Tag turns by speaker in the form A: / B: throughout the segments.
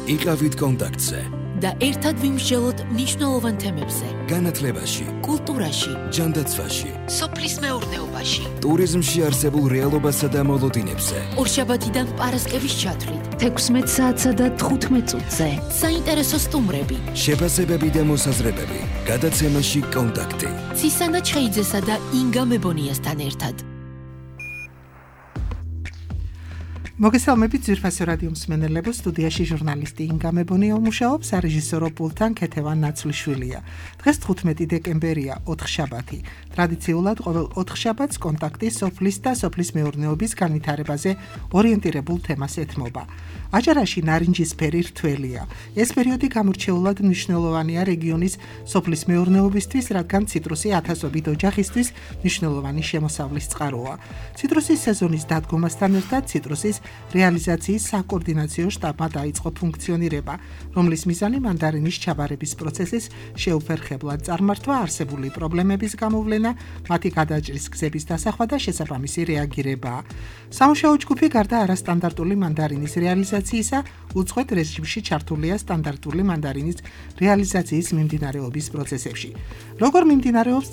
A: იყავით კონტაქტზე
B: და ერთად ვიმსჯელოთ მნიშვნელოვან თემებზე.
A: განათლებაში,
B: კულტურაში,
A: ჯანდაცვაში,
B: სოფლის მეურნეობაში,
A: ტურიზმში არსებულ რეალობასა და მოლოდინებზე.
B: ორშაბათიდან პარასკევის ჩათვლით,
C: 16 საათსა და 15 წუთზე.
B: საინტერესო სტუმრები,
A: შეფასებები და მოსაზრებები. გადაცემაში კონტაქტი.
B: ცისანა ჩხეიძესა და ინგა მებონიასთან ერთად.
D: მოგესალმებით ძვირფასო რადიო მსმენელებო, სტუდიაში ჟურნალისტი ინგა მებონია მუშაობს, სარეჟისორო პულტთან ქეთევან ნაცვლიშვილია. დღეს 15 დეკემბერია, ოთხშაბათი. ტრადიციულად ყოველ ოთხშაბათს კონტაქტი სოფლის და სოფლის მეურნეობის განვითარებაზე ორიენტირებულ თემას ეთმობა. აჭარაში ნარინჯისფერი რთველია. ეს პერიოდი გამორჩეულად მნიშვნელოვანია რეგიონის სოფლის მეურნეობისთვის, რადგან ციტრუსი ათასობით ოჯახისთვის მნიშვნელოვანი შემოსავლის წყაროა. ციტრუსის სეზონის დადგომასთან ერთად ციტრუსის რეალიზაციის საკოორდინაციო შტაბმა დაიწყო ფუნქციონირება, რომლის მიზანი მანდარინის ჩაბარების პროცესის შეუფერხებლად წარმართვა, არსებული პრობლემების გამოვლენა, მათი გადაჭრის გზების დასახვა და შესაბამისი რეაგირებაა. სამუშაო ჯგუფი გარდა არასტანდარტული მანდარინის რეალიზაციისა, უწყვეტ რეჟიმში ჩართულია სტანდარტული მანდარინის რეალიზაციის მიმდინარეობის პროცესებში. როგორ მიმდინარეობს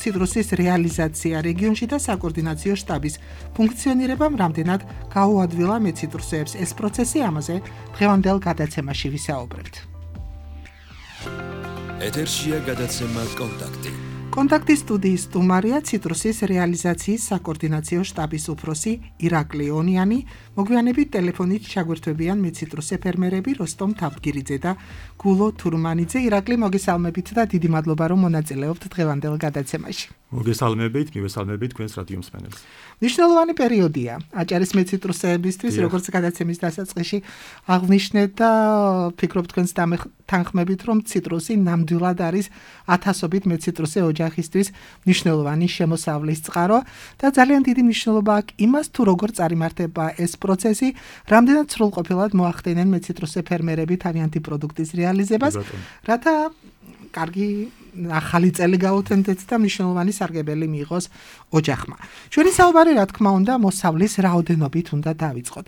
D: ციტრუსის რეალიზაცია რეგიონში და საკოორდინაციო შტაბის ფუნქციონირებამ რამდენად გაუადვილა მეციტრუსეებს ეს პროცესი, ამაზე დღევანდელ გადაცემაში ვისაუბრებთ.
A: ეთერშია გადაცემა კონტაქტი.
D: კონტაქტის სტუდიის სტუმარია ციტრუსის რეალიზაციის საკოორდინაციო შტაბის უფროსი ირაკლი ონიანი. მოგვიანებით ტელეფონით ჩაგვერთვებიან მეციტრუსე ფერმერები როსტომ თაბგირიძე და გულო თურმანიძე. ირაკლი, მოგესალმებით და დიდი მადლობა, რომ მონაწილეობთ დღევანდელ გადაცემაში.
E: მოგესალმებით, მივესალმებით თქვენს რადიო მსმენელს.
D: მნიშვნელოვანი პერიოდია აჭარის მეციტრუსეებისთვის, როგორც გადაცემის დასაწყისში აღნიშნეთ და ფიქრობ თქვენს თანხმებით, რომ ციტრუსი ნამდვილად არის ათასობით მეციტრუსე ოჯახისთვის მნიშვნელოვანი შემოსავლის წყარო და ძალიან დიდი მნიშვნელობა აქვს იმას, თუ როგორ წარიმართება ეს პროცესი, რამდენად სრულყოფილად მოახდენენ მეციტრუსე ფერმერები თავიანთი პროდუქტის რეალიზებას, რათა კარგი ახალი წელი გაუთენდეთ და მნიშვნელოვანი სარგებელი მიიღოს ოჯახმა. ჩვენი საუბარი, რა თქმა უნდა, მოსავლის რაოდენობით უნდა დავიწყოთ.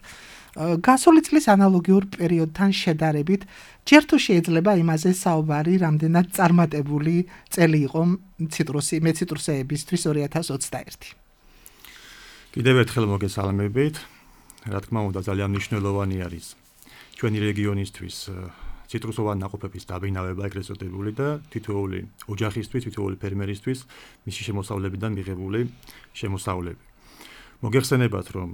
D: გასული წლის ანალოგიურ პერიოდთან შედარებით, ჯერ თუ შეიძლება იმაზე საუბარი, რამდენად წარმატებული წელი იყო მეციტრუსეებისთვის 2021.
E: კიდევ ერთხელ მოგესალმებით. რა თქმა უნდა, ძალიან მნიშვნელოვანი არის ჩვენი რეგიონისთვის ციტრუსოვანი ნაყოფების დაბინავება, ეგრეთ წოდებული და თითოეული ოჯახისთვის, თითოეული ფერმერისთვის მისი შემოსავლებიდან მიღებული შემოსავლები. მოგეხსენებათ, რომ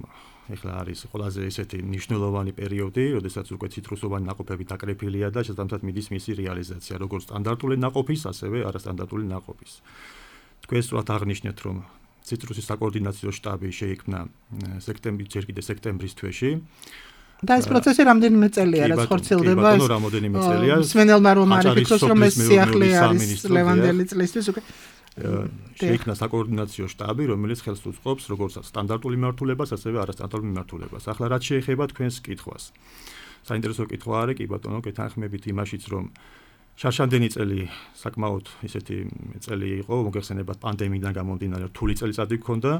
E: ეხლა არის ყველაზე ესეთი მნიშვნელოვანი პერიოდი, როდესაც უკვე ციტრუსოვანი ნაყოფები დაკრეფილია და შესაბამისად მიდის მისი რეალიზაცია, როგორც სტანდარტული ნაყოფის, ასევე არასტანდარტული ნაყოფის. თქვენ სწორად აღნიშნეთ, რომ ციტრუსის საკოორდინაციო შტაბი შეიქმნა სექტემბრის თვეში.
D: და ეს პროცესი რამდენიმე წელია, რაც ხორციელდება. მსმენელმა რომ არ იფიქროს, რომ ეს სიახლე არის ლევანდელი წლისთვის უკვე
E: შეიქმნა საკოორდინაციო შტაბი, რომელიც ხელს უწყობს როგორც სტანდარტული მიმართულებას, ასევე არასტანდარტულ მიმართულებას. ახლა რაც შეეხება თქვენს კითხვას. საინტერესო კითხვა არის, კი ბატონო, გეთანხმებით იმაშიც, რომ შარშანდენი წელი საკმაოდ ისეთი წელი იყო, მოგეხსენებათ პანდემიიდან გამომდინარე, რთული წელიწადი გქონდა,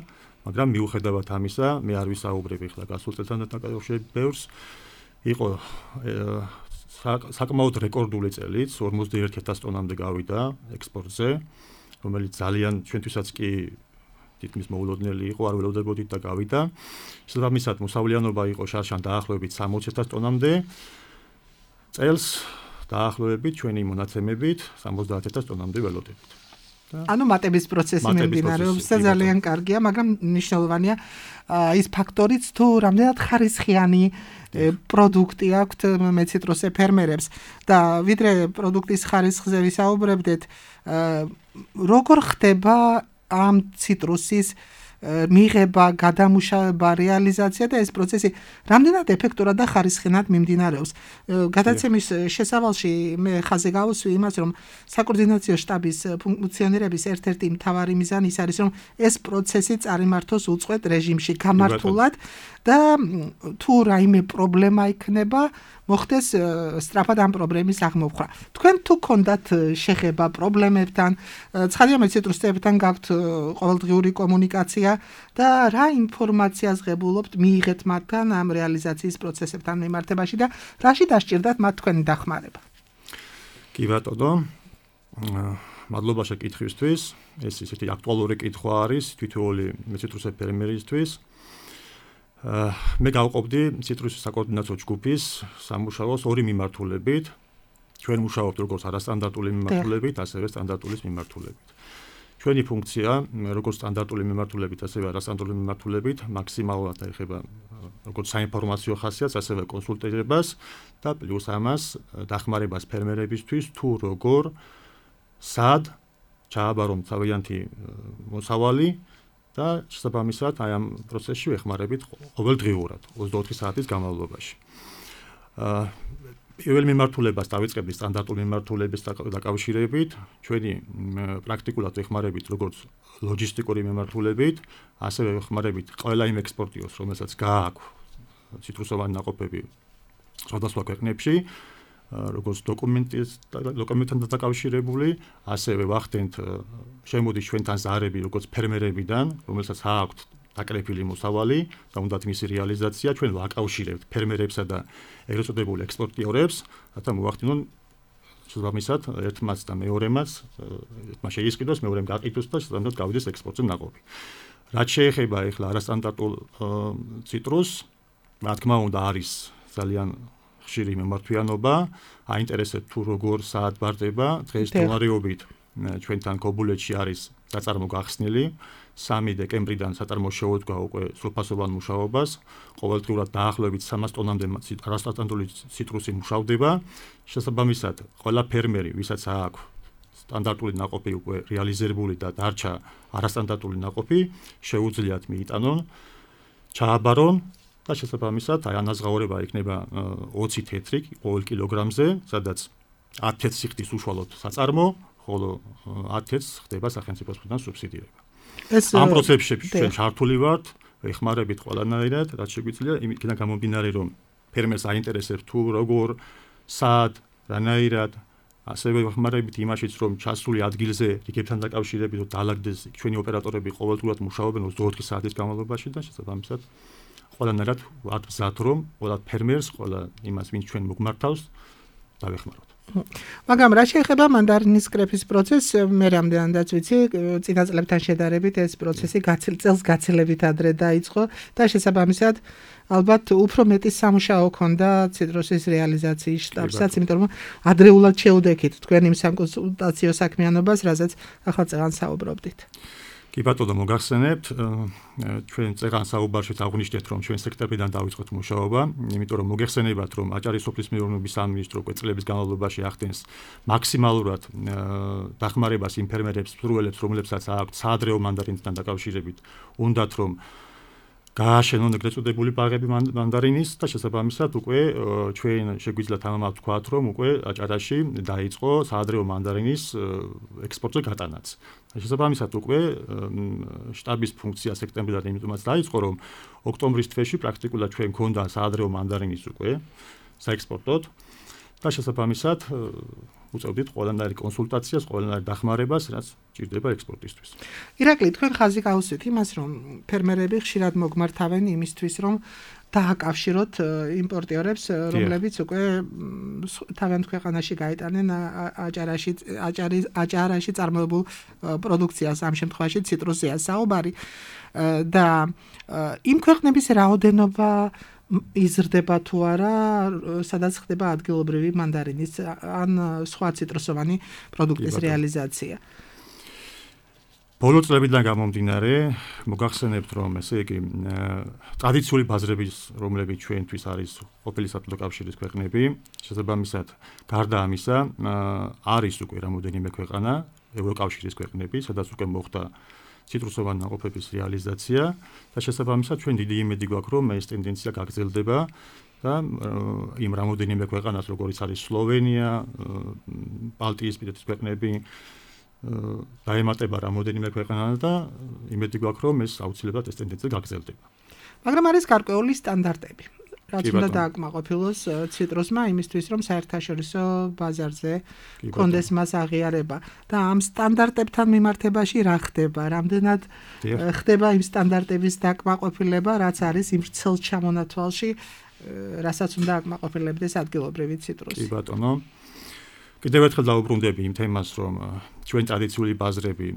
E: მაგრამ მიუხედავად ამისა, მე არ ვისაუბრებ ახლა გასულ წელთან დაკავშირებით ბევრს, იყო საკმაოდ რეკორდული წელიც, 41,000 ტონამდე გავიდა ექსპორტზე, რომელიც ძალიან ჩვენთვისაც კი თითქმის მოულოდნელი იყო, არ ველოდებოდით და გავიდა. შესაბამისად, მოსავლიანობა იყო შარშან დაახლოებით 60,000 ტონამდე. წელს დაახლოებით ჩვენი მონაცემებით 70,000 ტონამდე ველოდებით.
D: ანუ მატების პროცესი მიმდინარეობს და ძალიან კარგია, მაგრამ მნიშვნელოვანია ის ფაქტორიც, თუ რამდენად ხარისხიანი პროდუქტი აქვთ მეციტრუსე ფერმერებს და ვიდრე პროდუქტის ხარისხზე ვისაუბრებდეთ, როგორ ხდება ამ ციტრუსის მიღება, გადამუშავება, რეალიზაცია და ეს პროცესი რამდენად ეფექტურად და ხარისხენად მიმდინარეობს. გადაცემის შესავალში მე ხაზზე გავუსვი იმას, რომ საკოორდინაციო შტაბის ფუნქციონირების ერთ-ერთი მთავარი მიზანი ის არის, რომ ეს პროცესი წარიმართოს უწყვეტ რეჟიმში, გამართულად და თუ რაიმე პრობლემა იქნება, მოხდეს სწრაფად ამ პრობლემის აღმოფხვრა. თქვენ თუ გქონდათ შეხება პრობლემებთან, ცხადია მეციტრუსეებთან გაქვთ ყოველდღიური კომუნიკაცია გასაგებია და რა ინფორმაციას ღებულობთ მიიღეთ მათგან ამ რეალიზაციის პროცესებთან მიმართებაში და რაში დასჭირდათ მათ თქვენი დახმარება?
E: კი ბატონო, მადლობა შეკითხვისთვის. ეს ისეთი აქტუალური კითხვა არის თითოეული ციტრუსე ფერმერისთვის. მე გავყოფდი ციტრუსის საკოორდინაციო ჯგუფის სამუშაოს ორი მიმართულებით. ჩვენ მუშაობთ როგორც არასტანდარტული მიმართულებით, ასევე სტანდარტული მიმართულებით. ჩვენი ფუნქცია, როგორც სტანდარტული მიმართულებით, ასევე არასტანდარტული მიმართულებით, მაქსიმალურად აიხება როგორც საინფორმაციო ხასიათს, ასევე კონსულტირებას და პლუს ამას დახმარებას ფერმერებისთვის თუ როგორ სად ჩააბარონ თავიანთი მოსავალი და შესაბამისად აი ამ პროცესში ვეხმარებით ყოველდღიურად 24 საათის განმავლობაში. პირველ მიმართულებას დავიწყებდი სტანდარტულ მიმართულების დაკავშირებით, ჩვენი პრაქტიკულად ვეხმარებით როგორც ლოჯისტიკური მიმართულებით, ასევე ვეხმარებით ყველა იმ ექსპორტიორს, რომელსაც გააქვს ციტრუსოვანი ნაყოფები სხვადასხვა ქვეყნებში, როგორც დოკუმენტთან დაკავშირებული, ასევე ვახდენთ შემოდის ჩვენთან ზარები როგორც ფერმერებიდან, რომელსაც აქვთ დაკრეფილი მოსავალი და უნდათ მისი რეალიზაცია, ჩვენ ვაკავშირებთ ფერმერებსა და ეგრეთ წოდებულ ექსპორტიორებს, რათა მოვახდინონ შესაბამისად ერთმაც და მეორემაც, ერთმა შეისყიდოს, მეორემ გაყიდოს და შესაბამისად გავიდეს ექსპორტზე ნაყოფი. რაც შეეხება ახლა არასტანდარტულ ციტრუსს, რა თქმა უნდა არის ძალიან ხშირი მიმართვიანობა, აინტერესებთ თუ როგორ საათ ბარდება, დღეს მდგომარეობით ჩვენთან ქობულეთში არის საწარმო გახსნილი, 3 დეკემბრიდან საწარმო შეუდგა უკვე სრულფასოვან მუშაობას, ყოველდღიურად დაახლოებით 300 ტონამდე არასტანდარტული ციტრუსი მუშავდება, შესაბამისად ყველა ფერმერი, ვისაც აქვს სტანდარტული ნაყოფი უკვე რეალიზებული და დარჩა არასტანდარტული ნაყოფი, შეუძლიათ მიიტანონ, ჩააბარონ და შესაბამისად აი ანაზღაურება იქნება 20 თეთრი ყოველ კილოგრამზე, სადაც 10 თეთრ სიხდის უშუალოდ საწარმო, ხოლო 10 თეთრს ხდება სახელმწიფოს მხრიდან სუბსიდირება. ამ პროცესში ჩვენ ჩართული ვართ, ვეხმარებით ყველანაირად, რაც შეგვიძლია, იმიდან გამომდინარე, რომ ფერმერს აინტერესებს თუ როგორ, სად, რანაირად, ასევე ვეხმარებით იმაშიც, რომ ჩასული ადგილზე რიგებთან დაკავშირებით დაალაგდეს ჩვენი ოპერატორები ყოველდღურად მუშაობენ 24 საათის განმავლობაში და შესაბამისად ყველანაირად ვართ მზად, რომ ყველა ფერმერს, ყველა იმას, ვინც ჩვენ მოგმართავს, დავეხმაროთ.
D: მაგრამ რა შეეხება მანდარინის კრეფის პროცესს, მე რამდენადაც ვიცი, წინა წლებთან შედარებით ეს პროცესი წელს გაცილებით ადრე დაიწყო და შესაბამისად ალბათ უფრო მეტი სამუშაო ქონდა ციტრუსის რეალიზაციის შტაბსაც, იმიტომ რომ ადრეულად შეუდექით თქვენ იმ საკონსულტაციო საქმიანობას, რასაც ახლა წეგან საუბრობდით.
E: კი ბატონო, მოგახსენებთ, ჩვენ წეგან საუბარშიც აღვნიშნეთ, რომ ჩვენ სექტემბრიდან დავიწყოთ მუშაობა, იმიტომ რომ მოგეხსენებათ, რომ აჭარის სოფლის მეურნეობის სამინისტრო უკვე წლების განმავლობაში ახდენს მაქსიმალურად დახმარებას იმ ფერმერებს, მსურველებს, რომლებსაც აქვთ საადრეო მანდარინთან დაკავშირებით, უნდათ რომ გააშენონ ეგრეთ წოდებული ბაღები მანდარინის და შესაბამისად უკვე ჩვენ შეგვიძლია თამამად ვთქვათ, რომ უკვე აჭარაში დაიწყო საადრეო მანდარინის ექსპორტზე გატანაც. შესაბამისად უკვე შტაბის ფუნქცია სექტემბრიდან იმიტომაც დაიწყო, რომ ოქტომბრის თვეში პრაქტიკულად ჩვენ გქონდა საადრეო მანდარინის უკვე საექსპორტოდ და შესაბამისად უწევდით ყველანაირ კონსულტაციას, ყველანაირ დახმარებას, რაც ჭირდება ექსპორტისთვის.
D: ირაკლი, თქვენ ხაზი გაუსვით იმას, რომ ფერმერები ხშირად მოგმართავენ იმისთვის, რომ დააკავშიროთ იმპორტიორებს, რომლებიც უკვე თავიანთ ქვეყანაში გაიტანენ აჭარაში წარმოებულ პროდუქციას, ამ შემთხვევაში ციტრუსია საუბარი და იმ ქვეყნების რაოდენობა იზრდება თუ არა, სადაც ხდება ადგილობრივი მანდარინის ან სხვა ციტრუსოვანი პროდუქტის რეალიზაცია.
E: ბოლო წლებიდან გამომდინარე, მოგახსენებთ, რომ ესე იგი ტრადიციული ბაზრების, რომლებიც ჩვენთვის არის ყოფილი საბჭოთა კავშირის ქვეყნები, შესაბამისად, გარდა ამისა, არის უკვე რამოდენიმე ქვეყანა, ევროკავშირის ქვეყნები, სადაც უკვე მოხდა ციტრუსოვანი ნაყოფების რეალიზაცია და შესაბამისად ჩვენ დიდი იმედი გვაქვს, რომ ეს ტენდენცია გაგრძელდება და იმ რამოდენიმე ქვეყანას, როგორიც არის სლოვენია, ბალტიისპირეთის ქვეყნები, დაემატება რამოდენიმე ქვეყანა და იმედი გვაქვს, რომ ეს აუცილებლად ეს ტენდენცია გაგრძელდება.
D: მაგრამ არის გარკვეული სტანდარტები. რაც უნდა დააკმაყოფილოს ციტრუსმა იმისთვის, რომ საერთაშორისო ბაზარზე კონდეს მას აღიარება და ამ სტანდარტებთან მიმართებაში რა ხდება? რამდენად ხდება იმ სტანდარტების დაკმაყოფილება, რაც არის იმ ვრცელ ჩამონათვალში, რასაც უნდა აკმაყოფილებდეს ადგილობრივი ციტრუსი?
E: კი ბატონო. კიდევ ერთხელ დავუბრუნდები იმ თემას, რომ ჩვენ ტრადიციული ბაზრები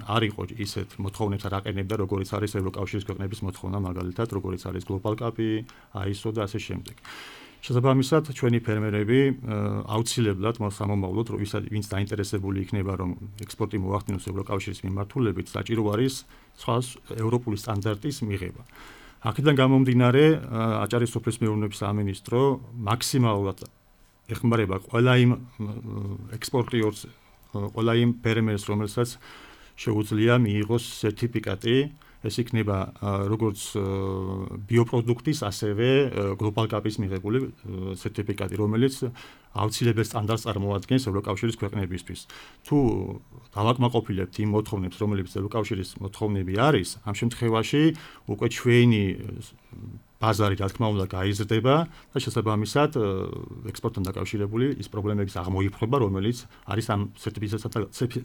E: არ იყო ისეთ მოთხოვნებს არ აყენებდა, როგორიც არის ევროკავშირის ქვეყნების მოთხოვნა, მაგალითად, როგორიც არის Global Cup-ი, ISO და ასე შემდეგ. შესაბამისად, ჩვენი ფერმერები აუცილებლად მოსამომავლოდ, ვინც დაინტერესებული იქნება, რომ ექსპორტი მოახდინოს ევროკავშირის მიმართულებით, საჭირო არის სხვა ევროპული სტანდარტის მიღება. აქედან გამომდინარე, აჭარის სოფლის მეურნეობის სამინისტრო მაქსიმალურად ეხმარება ყველა იმ ექსპორტიორს, ყველა იმ ფერმერს, რომელსაც შეუძლია მიიღოს სერტიფიკატი, ეს იქნება როგორც ბიოპროდუქტის, ასევე Global Cup-ის მიღებული სერტიფიკატი, რომელიც აუცილებელ სტანდარტს წარმოადგენს ევროკავშირის ქვეყნებისთვის. თუ დავაკმაყოფილებთ იმ მოთხოვნებს, რომლებიც ევროკავშირის მოთხოვნები არის, ამ შემთხვევაში უკვე ჩვენი ბაზარი რა თქმა უნდა გაიზრდება და შესაბამისად ექსპორტთან დაკავშირებული ის პრობლემების აღმოიფრხება, რომელიც არის ამ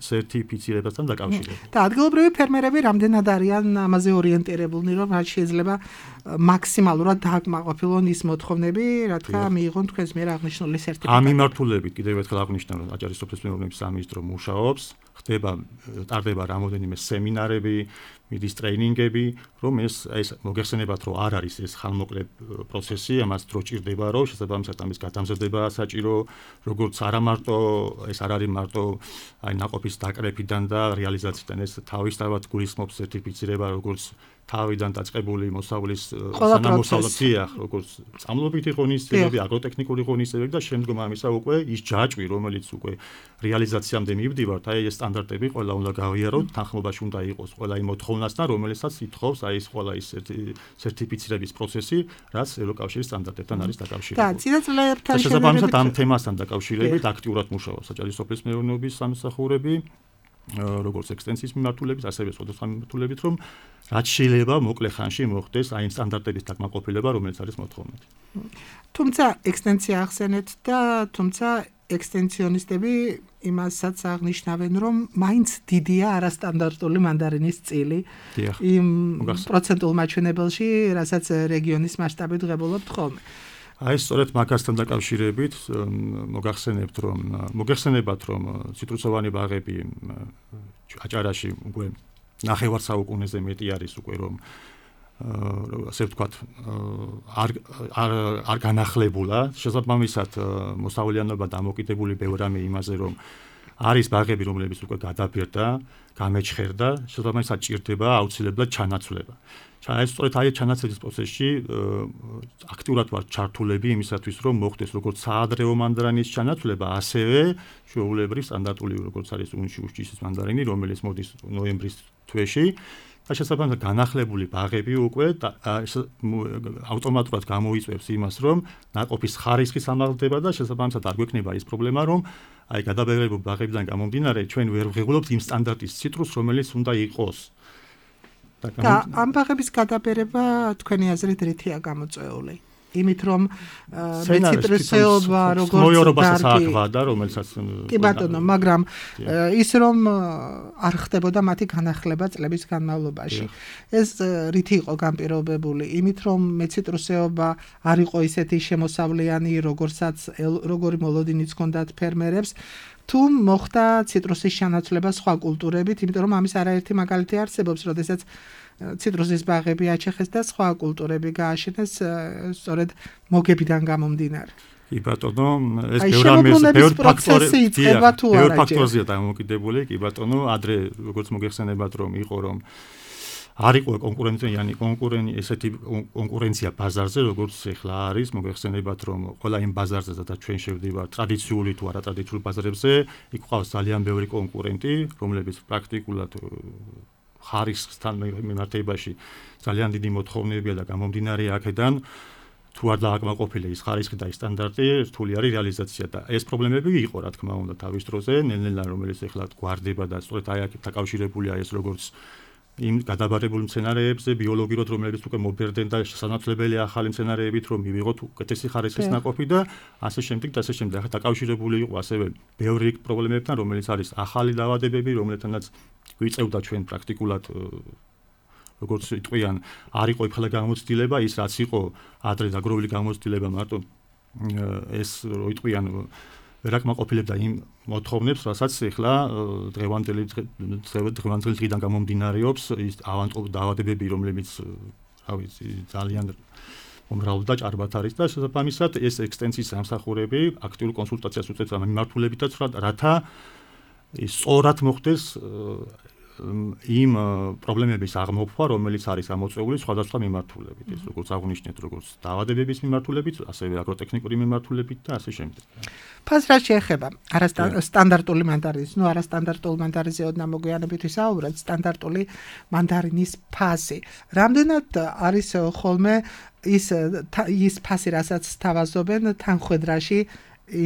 E: სერტიფიცირებასთან დაკავშირებული.
D: და ადგილობრივი ფერმერები რამდენად არიან ამაზე ორიენტირებულნი, რომ რაც შეიძლება მაქსიმალურად დააკმაყოფილონ ის მოთხოვნები, რა თქმა მიიღონ თქვენს მიერ აღნიშნული სერტიფიკატი.
E: ამ მიმართულებით კიდევ ერთხელ აღვნიშნავ, რომ აჭარის სოფლის მეურნეობის სამინისტრო მუშაობს, ტარდება რამოდენიმე სემინარები, მიდის ტრეინინგები, რომ ეს მოგეხსენებათ, რომ არ არის ეს ხანმოკლე პროცესი, ამას დრო ჭირდება, რომ შესაბამისად ამის გადამზადება საჭირო, როგორც არა მარტო ეს არ არის მარტო აი ნაყოფის დაკრეფიდან და რეალიზაციიდან, ეს თავისთავად გულისხმობს სერტიფიცირება, როგორც თავიდან დაწყებული მოსავლის სანამოსავლია, როგორც წამლობითი ღონისძიებები, აგროტექნიკური ღონისძიებები და შემდგომ ამისა უკვე ის ჯაჭვი, რომელიც უკვე რეალიზაციამდე მივდივართ, აი ეს სტანდარტები ყველა უნდა გავიაროთ, თანხმობაში უნდა იყოს ყველა იმ მოთხოვნასთან, რომელსაც ითხოვს აი ეს ყველა ის სერტიფიცირების პროცესი, რაც ევროკავშირის სტანდარტებთან არის დაკავშირებული.
D: და წინაწლებთან
E: შესაბამისად ამ თემასთან დაკავშირებით აქტიურად მუშაობს აჭარის სოფლის მეურნეობის სამსახურები, როგორც ექსტენსიის მიმართულებით, ასევე სხვადასხვა მიმართულებით, რომ რაც შეიძლება მოკლე ხანში მოხდეს აი იმ სტანდარტების დაკმაყოფილება, რომელიც არის მოთხოვნადი.
D: თუმცა ექსტენსია ახსენეთ და თუმცა ექსტენსიონისტები იმასაც აღნიშნავენ, რომ მაინც დიდია არასტანდარტული მანდარინის წილი იმ პროცენტულ მაჩვენებელში, რასაც რეგიონის მასშტაბით ღებულობთ ხოლმე.
E: აი სწორედ მაგასთან დაკავშირებით მოგეხსენებათ, რომ ციტრუსოვანი ბაღები აჭარაში უკვე ნახევარ საუკუნეზე მეტი არის უკვე, რომ ასე ვთქვათ, არ განახლებულა, შესაბამისად მოსავლიანობა დამოკიდებული ბევრ რამე იმაზე, რომ არის ბაღები, რომლებიც უკვე გადაბირდა, გამეჩხერდა, შესაბამისად ჭირდება აუცილებლად ჩანაცვლება. სწორედ აი ჩანაცვლის პროცესში აქტიურად ვარ ჩართულები იმისათვის, რომ მოხდეს როგორც საადრეო მანდარინის ჩანაცვლება, ასევე ჩვეულებრივ სტანდარტული როგორც არის უნჩის მანდარინი, რომელიც მოდის ნოემბრის თვეში და შესაბამისად განახლებული ბაღები უკვე ავტომატურად გამოიწვევს იმას, რომ ნაყოფის ხარისხი სამაღლდება და შესაბამისად არ გვექნება ის პრობლემა, რომ აი გადაბეღებულ ბაღებიდან გამომდინარე ჩვენ ვერ ვღებულობთ იმ სტანდარტის ციტრუსს, რომელიც უნდა იყოს.
D: და ამ ბაღების გადაბერება თქვენი აზრით რითია გამოწვეული? იმით რომ მეციტრუსეობა როგორც
E: დარგი და რომელსაც
D: კი ბატონო, მაგრამ ის რომ არ ხდებოდა მათი განახლება წლების განმავლობაში. ეს რითი იყო განპირობებული? იმით რომ მეციტრუსეობა არ იყო ისეთი შემოსავლიანი, როგორი მოლოდინიც ჰქონდათ ფერმერებს, თუ მოხდა ციტრუსის ჩანაცვლება სხვა კულტურებით, იმიტომ რომ ამის არაერთი მაგალითი არსებობს, როდესაც ციტრუსის ბაღები აჩეხეს და სხვა კულტურები გააშენეს სწორედ მოგებიდან გამომდინარე.
E: კი ბატონო, ეს
D: ბევრ
E: ფაქტორზეა დამოკიდებული, კი ბატონო, ადრე როგორც მოგეხსენებათ, რომ იყო რომ არ იყო ესეთი კონკურენცია ბაზარზე, როგორც ახლა არის, მოგეხსენებათ, რომ ყველა იმ ბაზარზე და ჩვენ შევდივართ ტრადიციული თუ არატრადიციული ბაზარებზე, იქ ყავს ძალიან ბევრი კონკურენტი, რომლებიც პრაქტიკულად ხარისხთან მიმართებაში ძალიან დიდი მოთხოვნებია და გამომდინარე აქედან თუ არ დააკმაყოფილე ის ხარისხი და ის სტანდარტი, რთული არის რეალიზაცია და ეს პრობლემები იყო, რა თქმა უნდა, თავის დროზე, ნელ-ნელა რომელიც ახლა გვარდება და სწორედ აი აქ დაკავშირებულია ეს როგორც იმ გადაბარებულ მცენარეებზე ბიოლოგიურად რომელიც უკვე მობერდნენ და შესაძლებელია ახალი მცენარეებით რომ მივიღოთ უკეთესი ხარისხის ნაყოფი და ასე შემდეგ და ასე შემდეგ. ახლა დაკავშირებული იყო ასევე ბევრი პრობლემებთან რომელიც არის ახალი დაავადებები რომელთანაც გვიწევდა ჩვენ პრაქტიკულად როგორც იტყვიან არ იყო იქლა გამოცდილება ის რაც იყო ადრე დაგროვილი გამოცდილება მარტო ეს რო იტყვიან ვერაკმაყოფილებდა იმ მოთხოვნებს, რასაც ახლა დღევანდელი დღიდან გამომდინარეობს ის ავანტყოფ დაავადებები, რომლებიც ძალიან უმრავლესად და ჭარბად არის და შესაბამისად ეს ექსტენსიის სამსახურები აქტიურ კონსულტაციას უწევს ამ მიმართულებითაც, რათა სწორად მოხდეს იმ პრობლემების აღმოფხვა, რომელიც არის ამოწეული სხვადასხვა მიმართულებით, ეს როგორც აღნიშნეთ, როგორც დაავადებების მიმართულებით, ასევე აგროტექნიკური მიმართულებით და ასე შემდეგ.
D: ფასს რაც შეეხება სტანდარტული მანდარინის, არასტანდარტული მანდარინზე ოდნა მოგვიანებით ვისაუბრეთ, სტანდარტული მანდარინის ფასი. რამდენად არის ხოლმე ის ფასი, რასაც თავაზობენ თანხმედრაში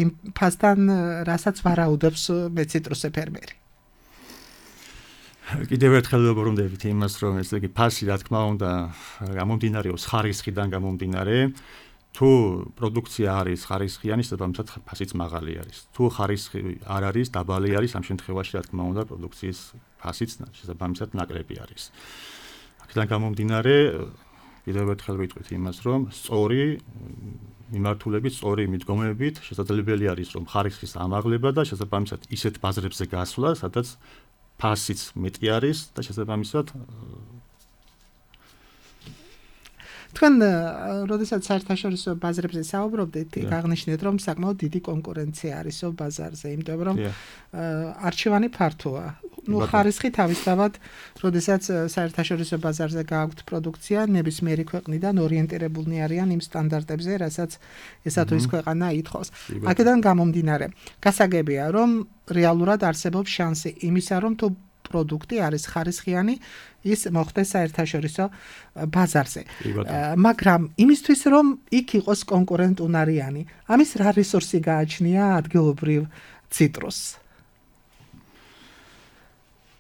D: იმ ფასთან, რასაც ვარაუდობს მეციტრუსე ფერმერი?
E: კიდევ ერთხელ ვუბრუნდებით იმას, რომ ესე იგი ფასი, რა თქმა უნდა, გამომდინარეობს ხარისხიდან გამომდინარე. თუ პროდუქცია არის ხარისხიანი, შესაბამისად ფასიც მაღალი არის. თუ ხარისხი არ არის, დაბალი არის, ამ შემთხვევაში, რა თქმა უნდა, პროდუქციის ფასიც შესაბამისად ნაკლები არის. აქედან გამომდინარე, კიდევ ერთხელ ვიტყვით იმას, რომ სწორი მიმართულებით, სწორი მიდგომებით შესაძლებელი არის, რომ ხარისხის ამაღლება და შესაბამისად ისეთ ბაზრებზე გასვლა, სადაც ფასიც მეტი არის და შესაბამისად
D: თქვენ როდესაც საერთაშორისო ბაზრებზე საუბრობდით, აღნიშნეთ რომ საკმაოდ დიდი კონკურენცია არისო ბაზარზე, იმიტომ რომ არჩევანი ფართოა. ხარისხი თავისთავად, როდესაც საერთაშორისო ბაზარზე გააქვთ პროდუქცია, ნებისმიერი ქვეყნიდან ორიენტირებულნი არიან იმ სტანდარტებზე, რასაც ესა თუ ის ქვეყანა ითხოვს. აქედან გამომდინარე, გასაგებია, რომ რეალურად არსებობს შანსი იმისა, რომ თუ პროდუქტი არის ხარისხიანი, ის მოხდეს საერთაშორისო ბაზარზე. მაგრამ იმისთვის, რომ იქ იყოს კონკურენტუნარიანი, ამის რა რესურსი გააჩნია ადგილობრივ ციტრუსს?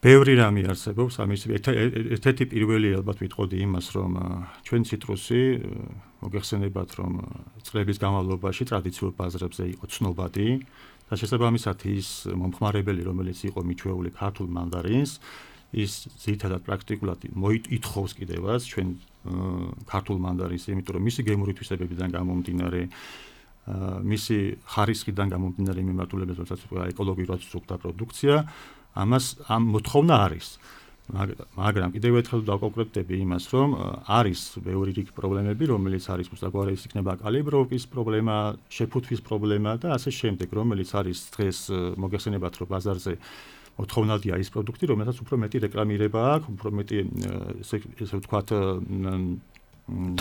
E: ბევრი რამე არსებობს, ამის ერთ-ერთი პირველი ალბათ ვიტყოდი იმას, რომ ჩვენ ციტრუსი მოგეხსენებათ, რომ წლების განმავლობაში ტრადიციულ ბაზრებზე იყო ცნობადი და შესაბამისად ის მომხმარებელი, რომელიც იყო მიჩვეული ქართულ მანდარინს, ის ძირითადად პრაქტიკულად ითხოვს კიდევაც ჩვენ ქართულ მანდარინს, იმიტომ რომ მისი გემური თვისებებიდან გამომდინარე, მისი ხარისხიდან გამომდინარე მიმართულებით, როდესაც ეკოლოგიურად სრულდა პროდუქცია, ამას ამ მოთხოვნა არის. მაგრამ კიდევ ერთხელ დავკონკრეტდები იმას, რომ არის ბევრი რიგ პრობლემები, რომელიც არის მოსაგვარი, ის იქნება კალიბროვკის პრობლემა, შეფუთვის პრობლემა და ასე შემდეგ, რომელიც არის დღეს მოგეხსენებათ, რომ ბაზარზე მოთხოვნადია ის პროდუქტი, რომელსაც უფრო მეტი რეკლამირება აქვს, უფრო მეტი ესე ვთქვათ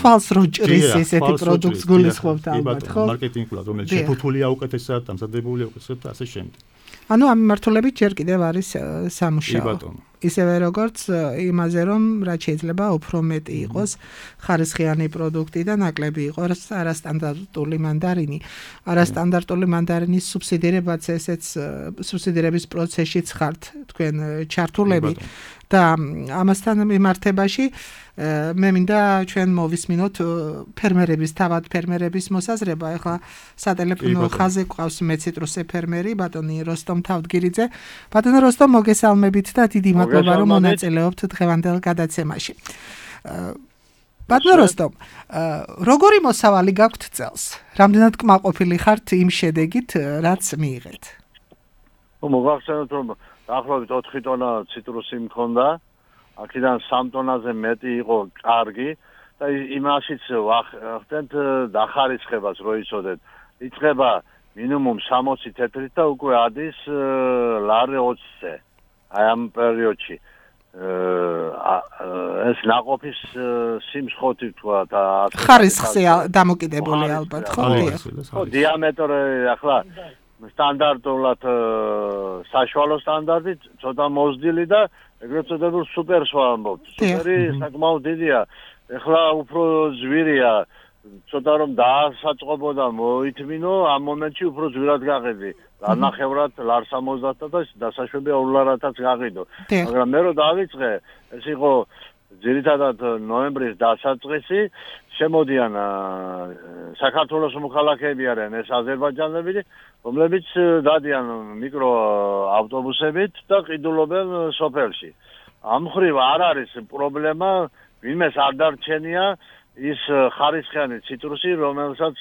D: თვალს რო ჭრის ესეთი პროდუქტს გულისხმობთ ალბათ, ხო?
E: მარკეტინგულად, რომელიც შეფუთულია უკეთესად, დამზადებულია უკეთესად და ასე შემდეგ.
D: ანუ ამ მიმართულებით ჯერ კიდევ არის სამუშაო. ისევე როგორც იმაზე, რომ რაც შეიძლება უფრო მეტი იყოს ხარისხიანი პროდუქტი და ნაკლები იყოს არასტანდარტული მანდარინი. არასტანდარტული მანდარინის სუბსიდირებაც ესეც სუბსიდირების პროცესშიც ხართ თქვენ ჩართულები და ამასთან მიმართებაში მე მინდა ჩვენ მოვისმინოთ ფერმერების, თავად ფერმერების მოსაზრება. ახლა სატელეფონო ხაზზე გვყავს მეციტრუსე ფერმერი, ბატონი როსტომ თავდგირიძე. ბატონო როსტომ, მოგესალმებით და დიდი მადლობა, რომ მონაწილეობთ დღევანდელ გადაცემაში. ბატონო როსტომ, როგორი მოსავალი გაქვთ წელს? რამდენად კმაყოფილი ხართ იმ შედეგით, რაც მიიღეთ?
F: მოგახსენოთ, რომ დაახლოებით 4 ტონა ციტრუსი მქონდა. აქედან 3 ტონაზე მეტი იყო კარგი და იმაშიც ვახდენთ დახარისხებას რო იცოდეთ. იწყება მინიმუმ 60 თეთრით და უკვე ადის ლარი 20-ზე. აი ამ პერიოდში ეს ნაყოფის სიმსხოთი თქვა და
D: ხარისხზე დამოკიდებული ალბათ, ხო?
F: ხო, დიამეტრი ახლა სტანდარტულად საშუალო სტანდარტით ცოტა მოზრდილი და ეგრეთ წოდებულ სუპერს ვამბობთ. სუპერი საკმაოდ დიდია. ეხლა უფრო ზვირია ცოტა რომ დაასაწყობოდა მოითმინო ამ მომენტში უფრო ძვირად გაყიდი. ნახევრად ლარ 70 და დასაშვებია 2 ლარათაც გაყიდო. მაგრამ მე რო დავიწყე, ეს იყო ძირითადად ნოემბრის დასაწყისი, შემოდიან საქართველოს მოქალაქეები არიან ეს აზერბაიჯანელები, რომლებიც დადიან მიკრო ავტობუსებით და ყიდულობენ სოფელში. ამ მხრივ არ არის პრობლემა, ვინმეს არ დარჩენია ის ხარისხიანი ციტრუსი, რომელსაც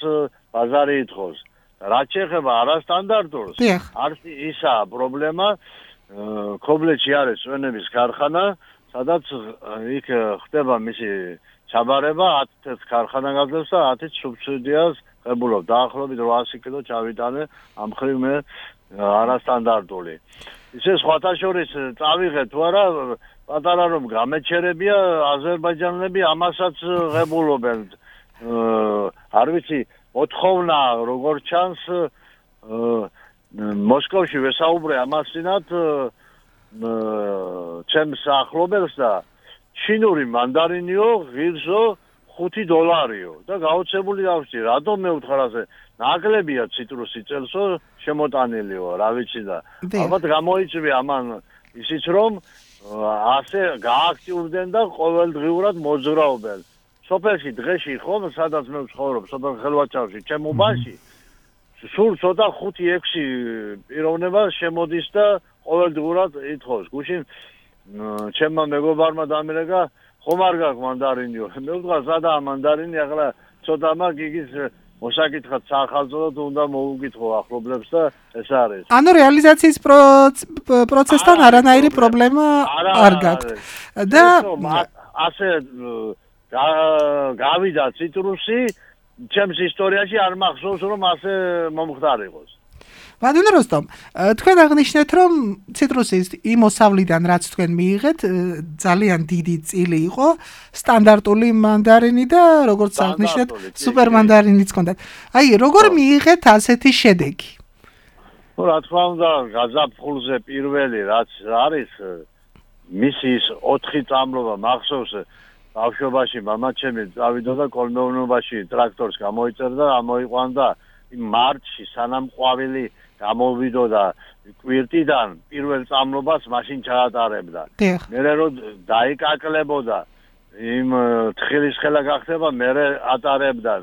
F: ბაზარი ითხოვს. რაც შეეხება არასტანდარტულს, არც ისაა პრობლემა. ქობლეთში არის წვენების ქარხანა, სადაც იქ ხდება მისი ჩაბარება, 10 ქარხანა გაძლევს და 10 სუბსიდიას ღებულობ. დაახლოებით 800 კილო ჩავიტანე ამ მხრივ მე არასტანდარტული. ისე სხვათა შორის წავიღე თუ არა, პატარა რომ გამეჩერებია აზერბაიჯანელები ამასაც ღებულობენ. არ ვიცი, მოთხოვნა როგორ ჩანს მოსკოვში ვესაუბრე ამასინათ ჩემს ახლობელს და ჩინური მანდარინიო ღირსო $5 და გაოცებული დავსწი, რატომ მე ვთხარ ასე, ნაკლებია ციტრუსი წელსო შემოტანილიო, რა ვიცი და ალბათ გამოიწვია ამან ისიც რომ ასე გააქტიურდნენ და ყოველდღიურად მოძრაობენ. სოფელში დღეში ხომ სადაც მე ვცხოვრობ, სოფელ ხელვაჩავში, ჩემუბანში სულ ცოტა 5-6 პიროვნება შემოდის და ყოველდღურად ითხოვს. გუშინ ჩემმა მეგობარმა დამირეკა, ხომ არ გაქვს მანდარინიო. მე ვთქვა, სადაა მანდარინი, ახლა ცოტა მაგ იგის მოსაკითხად სახალხოდ უნდა მოუკითხო ახლობლებს და ეს არის.
D: ანუ რეალიზაციის პროცესთან არანაირი პრობლემა არ გაქვთ. და
F: ასე გავიდა ციტრუსი, ჩემს ისტორიაში არ მახსოვს რომ ასე მომხდარიყოს.
D: ბატონო როსტომ, თქვენ აღნიშნეთ რომ ციტრუსის იმ მოსავლიდან რაც თქვენ მიიღეთ, ძალიან დიდი წილი იყო, სტანდარტული მანდარინი და როგორც აღნიშნეთ, სუპერ მანდარინიც ჰქონდათ. აი, როგორ მიიღეთ ასეთი შედეგი?
F: რა თქმა უნდა, გაზაფხულზე პირველი რაც არის, მისი ის 4 წამლობა მახსოვს ბავშვობაში მამაჩემი წავიდოდა კოლმეურნეობაში ტრაქტორს გამოიწერდა, ამოიყვანდა მარტში სანამ ყვავილი გამოვიდოდა კვირტიდან პირველ წამლობას მაშინ ჩაატარებდა. მერე რომ დაიკაკლებოდა იმ თხილის ხელა გახდება, მერე ატარებდა.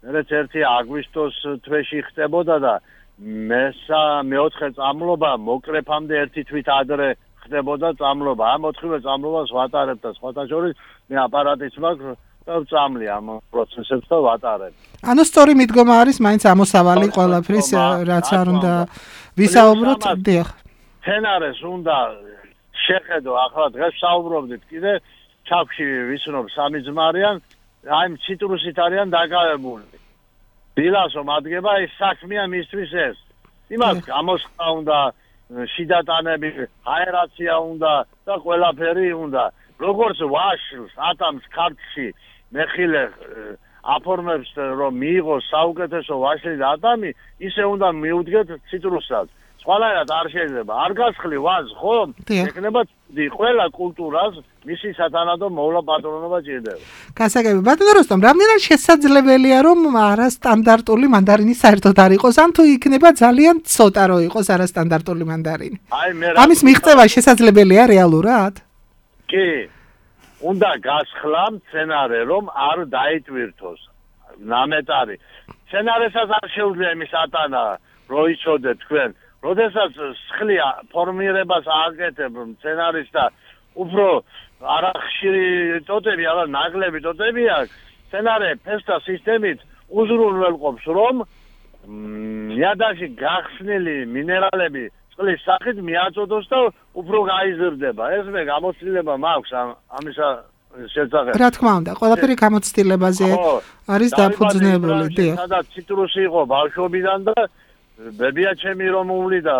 F: მერეც 1 აგვისტოს თვეში ხდებოდა და მე-4 წამლობა მოკრეფამდე 1 თვით ადრე ხდებოდა წამლობა. ამ 4 წამლობას ვატარებ და სხვათა შორის მე აპარატიც მაქვს და ვწამლი ამ პროცესებს და ვატარებ.
D: ანუ სწორი მიდგომა არის მაინც ამოსავალი ყველაფრის, რაც არ უნდა ვისაუბროთ. დიახ.
F: თენარეს უნდა შეხედო, ახლა დღეს საუბრობდით კიდე ჩაფში ვიცნობ 3 ძმარიან, აი ციტრუსით არიან დაკავებული. დილასო მადგება ის საქმეა მისთვის ეს. იმას გამოსხმა უნდა, შიდატანები, აერაცია უნდა და ყველაფერი უნდა. როგორც ვაშლს ატამს ქართლში მეხილე აფორმებს რომ მიიღოს საუკეთესო ვაშლი და ატამი, ისე უნდა მიუდგეთ ციტრუსსაც. სხვანაირად არ შეიძლება. არ გასხლი ვაზ, ხო? ეკნება ყველა კულტურას მისი სათანადო მოვლა პატრონობა ჭირდება.
D: გასაგები, ბატონო როსტომ, რამდენად შესაძლებელია რომ არასტანდარტული მანდარინი საერთოდ არ იყოს, ან თუ იქნება ძალიან ცოტა რომ იყოს არასტანდარტული მანდარინი? ამის მიღწევა შესაძლებელია რეალურად?
F: კი, უნდა გასხლა მცენარე, რომ არ დაიტვირთოს ნამეტარი. მცენარესაც არ შეუძლია იმის ატანა, რო იცოდეთ თქვენ. როდესაც სხლია ფორმირებას ააკეთებ მცენარის და უფრო არახშირი ტოტები, არა ნაკლები ტოტები აქვს, მცენარე ფესთა სისტემით უზრუნველყოფს, რომ ნიადაგში გახსნილი მინერალები წყლის სახით მიაწოდოს და უფრო გაიზრდება. ეს მე გამოცდილება მაქვს ამისა შესახებ.
D: რა თქმა უნდა, ყველაფერი გამოცდილებაზე არის დაფუძნებული, დიახ.
F: სადაც ციტრუსი იყო ბავშვობიდან და ბებია ჩემი რომ უვლიდა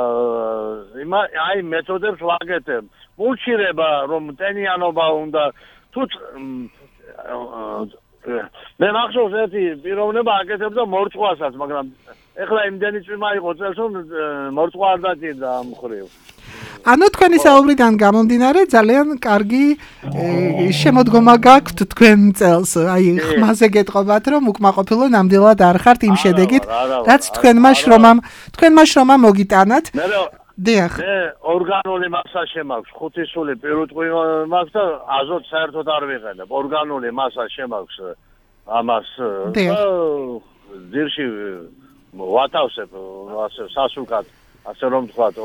F: აი მეთოდებს ვაკეთებ. მულჩირება რომ ტენიანობა უნდა თუ მე მახსოვს ერთი პიროვნება აკეთებდა მორწყვასაც, მაგრამ ეხლა იმდენი წვიმა იყო წელს რომ მორწყვა არ დაჭირდა ამ მხრივ.
D: ანუ თქვენი საუბრიდან გამომდინარე ძალიან კარგი შემოდგომა გაქვთ თქვენ წელს. აი ხმაზე გეტყობათ რომ უკმაყოფილო ნამდვილად არ ხართ იმ შედეგით, რაც თქვენმა შრომამ მოგიტანათ. დიახ.
F: ორგანული მასა შემაქვს, 5 სული პირუტყვი მაქვს და აზოტ საერთოდ არ ვიყენებ. ორგანული მასა შემაქვს ამას ძირში ვათავსებ ასე სასულკად, ასე რომ ვთქვათ,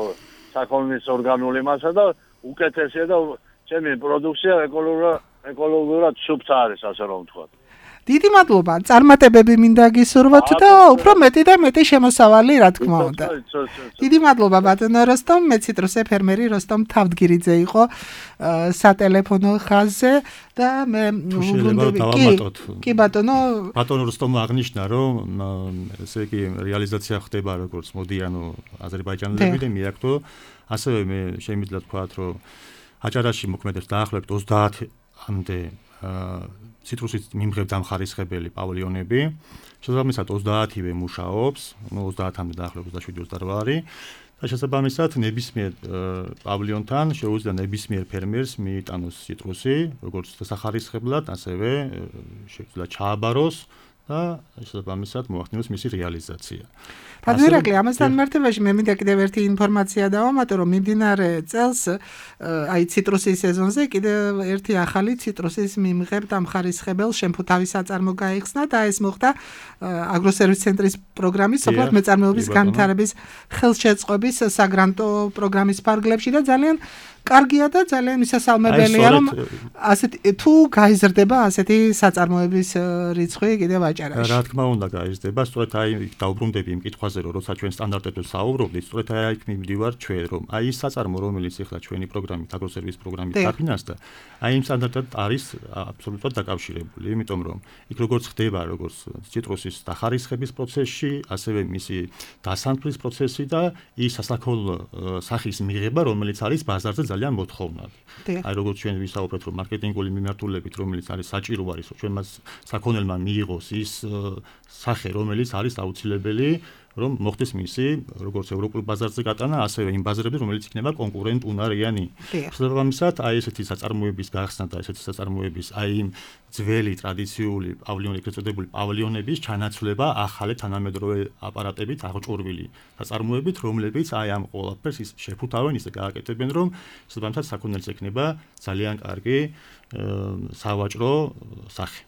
F: საქონლის ორგანული მასა და უკეთესია და ჩემი პროდუქცია ეკოლოგიურად სუფთა არის, ასე რომ ვთქვათ.
D: დიდი მადლობა, წარმატებები მინდა გისურვოთ და უფრო მეტი და მეტი შემოსავალი, რა თქმა უნდა. დიდი მადლობა ბატონო როსტომ, მე ციტრუსე ფერმერი როსტომ თავდგირიძე იყო სატელეფონო ხაზზე და მე კი ბატონო
E: როსტომ აღნიშნა რომ ესე იგი რეალიზაცია ხდება როგორც მოდიან აზერბაიჯანელები და მიაქვთ ასევე მე შემიძლია თქვა რომ აჭარაში მოქმედებს დაახლოებით 30-მდე ციტრუსის მიმღებ დამხარისხებელი პავილიონები. შესაბამისად 30-ივე მუშაობს, 30-მდე დაახლოებით 27-28 არის. და შესაბამისად ნებისმიერ პავილიონთან შეუძლია ნებისმიერ ფერმერს მიიტანოს ციტრუსი, როგორც დასახარისხებლად, ასევე შეუძლია ჩააბაროს და შესაბამისად მოახდინოს მისი რეალიზაცია.
D: ბატონო ამასთან მიმართებაში მე მინდა კიდევ ერთი ინფორმაცია დავამატო, რომ მიმდინარე წელს აი ციტრუსის სეზონზე კიდევ ერთი ახალი ციტრუსის მიმღებ დამხარისხებელ შემფუთავის საწარმო გაიხსნა და ეს მოხდა აგროსერვის ცენტრის პროგრამის სოფლად მეწარმეობის განვითარების ხელშეწყობის საგრანტო პროგრამის ფარგლებში და ძალიან კარგია და ძალიან მისასალმებელია რომ ასეთი თუ გაიზრდება ასეთი საწარმოების რიცხვი კიდევ აჭარაში.
E: რა თქმა უნდა გაიზრდება, სწორედ აი დაუბრუნდები იმ კითხვაზე რომ როცა ჩვენ სტანდარტებზე საუბრობდით, სწორედ აი იქ მივდივარ ჩვენ რომ აი ის საწარმო რომელიც ახლა ჩვენი პროგრამით აგროსერვის პროგრამით დაფინანსდა, აი იმ სტანდარტად არის აბსოლუტურად დაკავშირებული, იმიტომ რომ იქ როგორც ხდება როგორც ციტრუსის დახარისხების პროცესში, ასევე მისი დასანთლის პროცესი და ის სასაქონლო სახის მიღება, რომელიც არის ბაზარზე ძალიან მოთხოვნადი. აი როგორც ჩვენ ვისაუბრეთ რომ მარკეტინგული მიმართულებით რომელიც არის საჭირო არის ჩვენმა საქონელმა მიიღოს ის სახე რომელიც არის აუცილებელი რომ მოხდეს მისი როგორც ევროპულ ბაზარზე გატანა ასევე იმ ბაზრებზე რომელიც იქნება კონკურენტუნარიანი. შესაბამისად აი ესეთი საწარმოების გახსნა და ესეთი საწარმოების აი იმ ძველი ტრადიციული პავილიონი ეგრეთ წოდებული პავილიონების ჩანაცვლება ახალი თანამედროვე აპარატებით აღჭურვილი საწარმოებით რომლებიც აი ამ ყველაფერს ის შეფუთავენ ისე გააკეთებენ რომ შესაბამისად საქონელს ექნება ძალიან კარგი სავაჭრო სახე.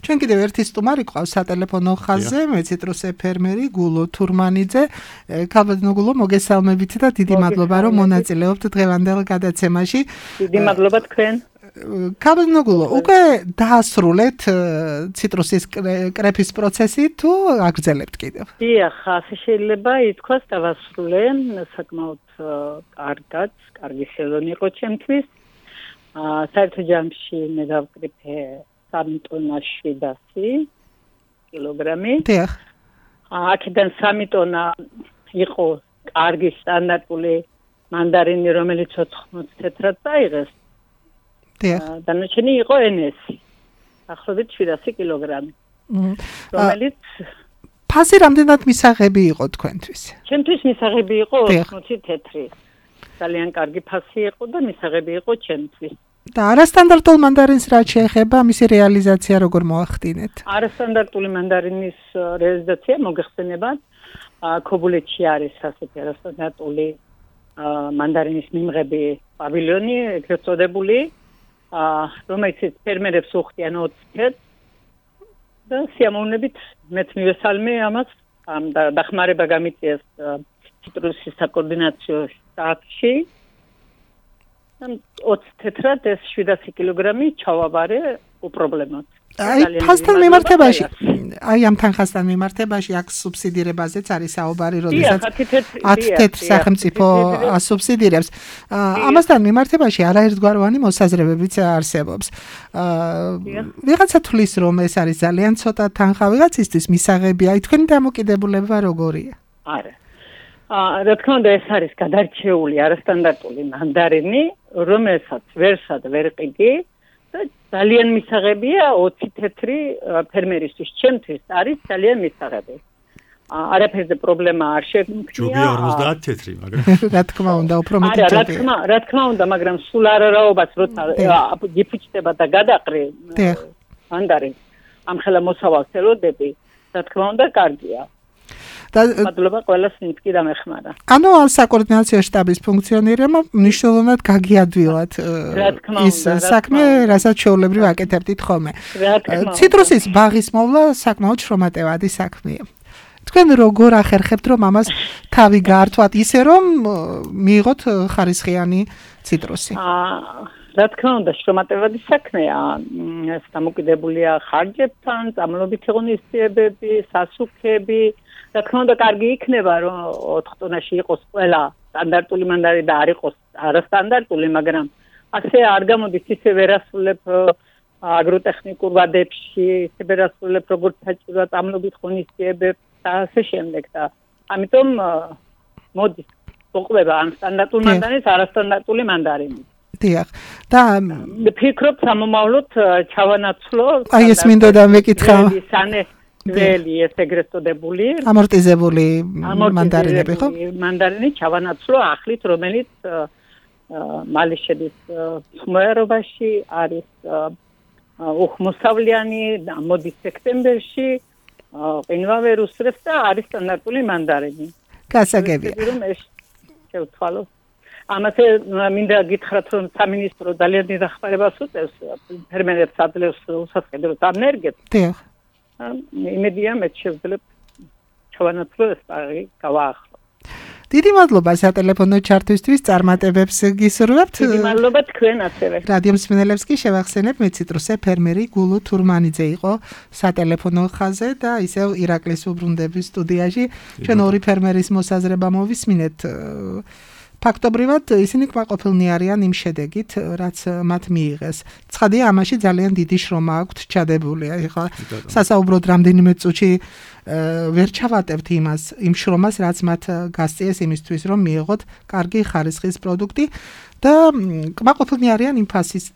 D: ჩვენ კიდევ ერთი სტუმარი ყავს სატელეფონო ხაზზე, მე ციტრუსე ფერმერი გულო თურმანიძე. ქალბატონო გულო, მოგესალმებით და დიდი მადლობა რომ მონაწილეობთ დღევანდელ გადაცემაში.
G: დიდი მადლობა თქვენ.
D: ქალბატონო გულო, უკვე დაასრულეთ ციტრუსის კრეფის პროცესი თუ აგრძელებთ კიდევ?
G: დიახ, ასე შეიძლება ითქვას დავასრულე, საკმაოდ კარგი სეზონი იყო ჩემთვის. საერთო ჯამში მე დავკრიფე 3 ტონა 700 კილოგრამი.
D: დიახ.
G: აქედან 3 ტონა იყო კარგი სტანდარტული მანდარინი, რომელიც 80 თეთრად დაიღეს.
D: დიახ.
G: დანარჩენი იყო NS. ახლობით 700 კილოგრამი. რომელიც
D: ფასი რამდენად მისაღები იყო თქვენთვის?
G: ჩემთვის მისაღები იყო 80 თეთრი. ძალიან კარგი ფასი იყო და მისაღები იყო ჩემთვის.
D: და არასტანდარტულ მანდარინს რაც შეეხება, მისი რეალიზაცია როგორ მოახდინეთ?
G: არასტანდარტული მანდარინის რეალიზაცია მოგეხსენებათ, ქობულეთში არის ასეთი არასტანდარტული მანდარინის მიმღები პავილიონი, ეგრეთ წოდებული, რომელიც ფერმერებს უხდიან 20 თეთრს და სიამოვნებით მეც მივესალმე ამას, ამ დახმარება გამიწიეს ციტრუსის საკოორდინაციო შტაბში. 20 თეთრად ეს 700 კილოგრამი ჩავაბარე უპრობლემოდ.
D: აი ფასთან მიმართებაში, აი ამ თანხასთან მიმართებაში აქ სუბსიდირებაზეც არის საუბარი, როდესაც 10 თეთრ სახელმწიფო ასუბსიდირებს. ამასთან მიმართებაში არაერთგვაროვანი მოსაზრებებიც არსებობს. ვიღაცა თვლის რომ ეს არის ძალიან ცოტა თანხა, ვიღაცისთვის მისაღები, აი თქვენი დამოკიდებულება როგორია?
G: არა. რა თქმა უნდა ეს არის გადარჩეული არასტანდარტული მანდარინი, რომელსაც ვერსად ვერ ყიდი და ძალიან მისაღებია 20 თეთრი ფერმერისთვის, ჩემთვის არის ძალიან მისაღები. არაფერზე პრობლემა არ შეგვიძლია.
E: ჯობია 50 თეთრი, მაგრამ
D: რა თქმა უნდა, უფრო მეტი
G: არა,
D: ჯობია.
G: რა თქმა უნდა, მაგრამ სულ არარაობას როცა გიფუჭდება და გადაყრი მანდარინს ამ ხელა მოსავალს ელოდები, რა თქმა უნდა, კარგია. მადლობა ყველას მითქი დამეხმარა.
D: ანუ საკოორდინაციო შტაბის ფუნქციონირებმა მნიშვნელოვნად გაგიადვილათ ის საქმე, რასაც ჩვეულებრივ აკეთებდით ხოლმე. ციტრუსის ბაღის მოვლა საკმაოდ შრომატევადი საქმეა. თქვენ როგორ ახერხებთ რომ ამას თავი გაართვათ ისე რომ მიიღოთ ხარისხიანი ციტრუსი?
G: რა თქმა უნდა, შრომატევადი საქმეა. ეს დამოკიდებულია ხარჯებთან, წამლობითი ღონისძიებები, სასუქები. რა თქმა უნდა, კარგი იქნება რომ 4 ტონაში იყოს ყველა სტანდარტული მანდარი და არ იყოს არასტანდარტული, მაგრამ ასე არ გამოდის ისე ვერასრულებ აგროტექნიკურ ვადებში, ისე ვერასრულებ როგორც საჭიროა წამლობით ღონისძიებებს და ასე შემდეგ და ამიტომ მოდის მოყვება ამ სტანდარტულ მანდარინს არასტანდარტული მანდარინი.
D: დიახ. და
G: ფიქრობ სამომავლოდ ჩავანაცვლო
D: აი ეს მინდოდა მეკითხა.
G: ველი ეს ეგრეთ წოდებული
D: ამორტიზებული მანდარინები ხო?
G: მანდარინი ჩავანაცვლო ახლით, რომელიც მალე შედის ხმერობაში, არის უხმოსავლიანი, მოდის სექტემბერში, ყინვავე რუსრებს და არის სტანდარტული მანდარინი.
D: გასაგებია.
G: რომ ეს შევთვალოთ. ამაზე მინდა გითხრათ რომ სამინისტრო ძალიან დიდ ახმარებას უწევს ფერმერებს ადლევს უსასყიდროს ანერგიას.
D: დიახ.
G: იმედია მე შევძლებ ჩავანაცვლო ეს პარი გავაახლო.
D: დიდი მადლობა სატელეფონო ჩართვისთვის, წარმატებებს გისურვებთ.
G: დიდი მადლობა თქვენ ასევე.
D: რადიო მსმენელებს კი შევახსენებ, მე ციტრუსე ფერმერი გულუ თურმანიძე იყო სატელეფონო ხაზზე და ისევ ირაკლის უბრუნდების სტუდიაში ჩვენ ორი ფერმერის მოსაზრება მოვისმინეთ. ფაქტობრივად ისინი კმაყოფილნი არიან იმ შედეგით, რაც მათ მიიღეს. ცხადია, ამაში ძალიან დიდი შრომა აქვთ ჩადებული. ეხლა სასაუბროდ რამდენიმე წუთში ვერ ჩავატებთ იმ შრომას, რაც მათ გასწიეს იმისთვის, რომ მიიღოთ კარგი ხარისხის პროდუქტი და კმაყოფილნი არიან იმ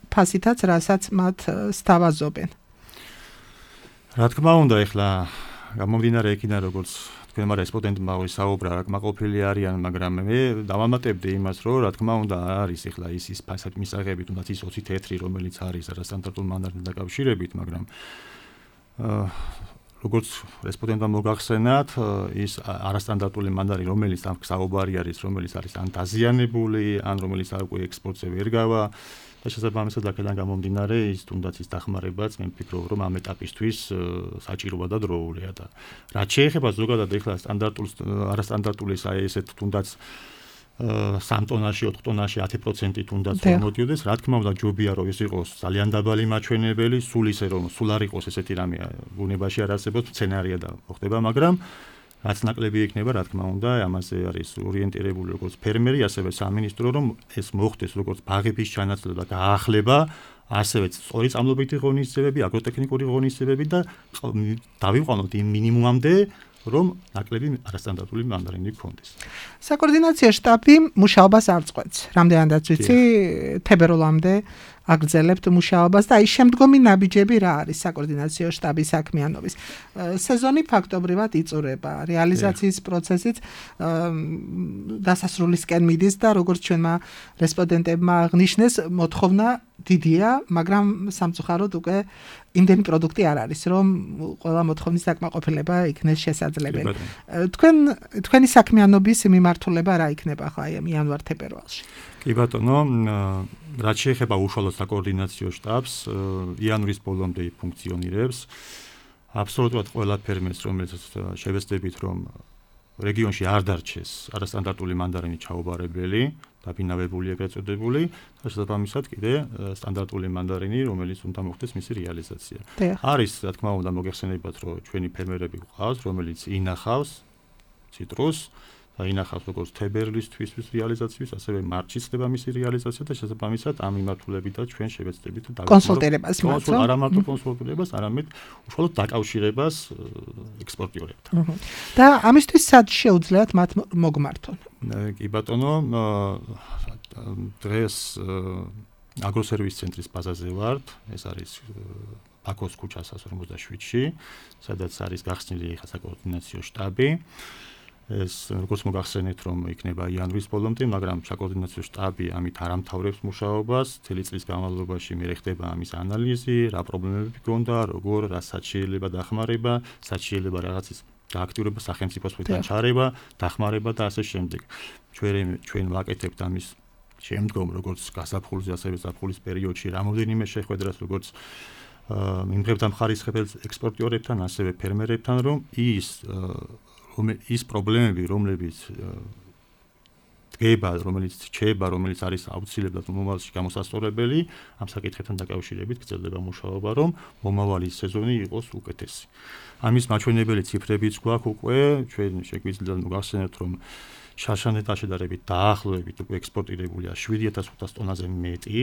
D: ფასითაც, რასაც მათ სთავაზობენ.
E: რა თქმა უნდა, ეხლა გამომდინარე იქიდან როგორც თქვენმა რესპონდენტმა ვისაუბრა, რა კმაყოფილი არიან, მაგრამ მე დავამატებდი იმას, რომ რა თქმა უნდა არის ეხლა ის მისაღები, თუნდაც ის 20 თეთრი, რომელიც არის არასტანდარტულ მანდარინთან დაკავშირებით, მაგრამ როგორც რესპონდენტმა მოგახსენათ, ის არასტანდარტული მანდარი, რომელიც ამ საუბარი არის, რომელიც არის ან დაზიანებული, ან რომელიც არ უკვე ექსპორტზე ვერ გავა და შესაბამისად აქედან გამომდინარე ის თუნდაც ის დახმარებაც მე ვფიქრობ რომ ამ ეტაპისთვის საჭიროა და დროულია და რაც შეეხება ზოგადად ეხლა სტანდარტულ არასტანდარტულ აი ესეთ თუნდაც 3 ტონაში 4 ტონაში 10% თუნდაც მოდიოდეს რა თქმა უნდა ჯობია რომ ეს იყოს ძალიან დაბალი მაჩვენებელი სულ ისე რომ სულ არ იყოს ესეთი რამე ბუნებაში არ არსებობს სცენარია და მოხდება მაგრამ რაც ნაკლები იქნება, რა თქმა უნდა, ამაზე არის ორიენტირებული როგორც ფერმერი, ასევე სამინისტრო, რომ ეს მოხდეს როგორც ბაღების ჩანაცვლება და გაახლება, ასევე სწორი წამლობითი ღონისძიებები, აგროტექნიკური ღონისძიებები და დავიყვანოთ იმ მინიმუმამდე, რომ ნაკლები არასტანდარტული მანდარინი გქონდეს.
D: საკოორდინაციო შტაბი მუშაობას არ წყვეტს. რამდენადაც ვიცი, თებერვალამდე აგრძელებთ მუშაობას და აი შემდგომი ნაბიჯები რა არის საკოორდინაციო შტაბის საქმიანობის. სეზონი ფაქტობრივად იწურება, რეალიზაციის პროცესიც დასასრულისკენ მიდის და როგორც ჩვენმა რესპონდენტებმა აღნიშნეს, მოთხოვნა დიდია, მაგრამ სამწუხაროდ უკვე იმდენი პროდუქტი არ არის, რომ ყველა მოთხოვნის დაკმაყოფილება იქნეს შესაძლებელი. თქვენი საქმიანობის მიმართულება რა იქნება ხო აი იანვარ-თებერვალში?
E: კი ბატონო, რაც შეეხება უშუალოდ საკოორდინაციო შტაბს, იანვრის ბოლომდე ფუნქციონირებს. აბსოლუტურად ყველა ფერმერს, რომელიც შევეცდებით, რომ რეგიონში არ დარჩეს არასტანდარტული მანდარინი ჩაუბარებელი, დაფინავებული ეგრეთ წოდებული, და შესაბამისად კიდე სტანდარტული მანდარინი, რომელიც უნდა მოხდეს მისი რეალიზაცია. არის, რა თქმა უნდა, მოგეხსენებათ, რომ ჩვენი ფერმერები გვყავს, რომელიც ინახავს ციტრუსს და ინახავს როგორც თებერვლისთვის რეალიზაციას, ასევე მარტში ხდება მისი რეალიზაცია და შესაბამისად ამ მიმართულებითაც ჩვენ შევეცდებით
D: კონსულტირებას მათო.
E: არა მარტო კონსულტირებას, არამედ უშუალოდ დაკავშირებას ექსპორტიორებთან.
D: და ამისთვის სად შეუძლიათ მათ მოგმართონ?
E: კი ბატონო, დღეს აგროსერვის ცენტრის ბაზაზე ვართ, ეს არის ბაქოს ქუჩას 157-ში, სადაც არის გახსნილი ხა საკოორდინაციო შტაბი. ეს როგორც მოგახსენეთ, რომ იქნება იანვრის ბოლომდე, მაგრამ საკოორდინაციო შტაბი ამით არ ამთავრებს მუშაობას. წელი წლის განმავლობაში მე ხდება ამის ანალიზი, რა პრობლემები გქონდა, როგორ, რასაც შეიძლება დახმარება, რაც შეიძლება რაღაცის გააქტიურება, სახელმწიფოს მხრიდან ჩარევა, დახმარება და ასე შემდეგ. ჩვენ ვაკეთებთ ამის შემდგომ, როგორც გასაფხულზე, ასევე ზაფხულის პერიოდში რამოდენიმე შეხვედრას, როგორც მიმღებთან მხარისხებელ ექსპორტიორებთან, ასევე ფერმერებთან, რომ ის პრობლემები, რომლებიც დგება, რომელიც რჩება, რომელიც არის აუცილებლად მომავალში გამოსასწორებელი, ამ საკითხებთან დაკავშირებით გრძელდება მუშაობა, რომ მომავალი სეზონი იყოს უკეთესი. ამის მაჩვენებელი ციფრებიც გვაქვს უკვე, ჩვენ შეგვიძლია მოგახსენოთ, რომ შარშანეთთან შედარებით დაახლოებით უკვე ექსპორტირებულია 7500 ტონაზე მეტი,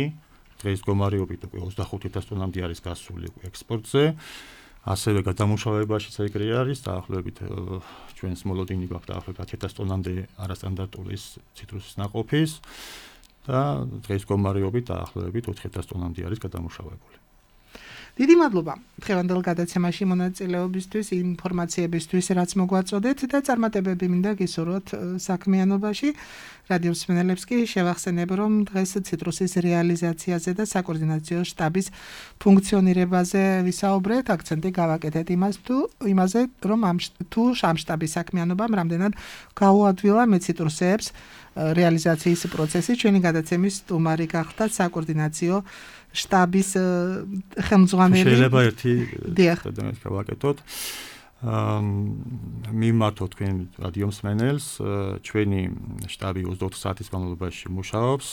E: დღეს მდგომარეობით უკვე 25000 ტონამდე არის გასული ექსპორტზე. ასევე გადამუშავებაშიც ეგრე არის, დაახლოებით ჩვენს მოლოდინი გვაქვს დაახლოებით 10000 ტონამდე არასტანდარტული ციტრუსის ნაყოფის და დღეს მდგომარეობით დაახლოებით 4000 ტონამდე არის გადამუშავებული.
D: დიდი მადლობა დღევანდელ გადაცემაში მონაწილეობისთვის, ინფორმაციებისთვის, რაც მოგვაწოდეთ და წარმატებები მინდა გისურვოთ საქმიანობაში. რადიო მსმენელებს კი შევახსენებ, რომ დღეს ციტრუსის რეალიზაციაზე და საკოორდინაციო შტაბის ფუნქციონირებაზე ვისაუბრეთ. აქცენტი გავაკეთეთ იმაზე, რომ ამ შტაბის საქმიანობამ რამდენად გაუადვილა მეციტრუსეებს რეალიზაციის პროცესი. ჩვენი გადაცემის სტუმარი გახდა საკოორდინაციო შტაბის ხელმძღვანელი.
E: შეიძლება ერთი გადაცემა გავაკეთოთ. მიმართოთ თქვენ რადიო მსმენელს, ჩვენი შტაბი 24 საათის განმავლობაში მუშაობს.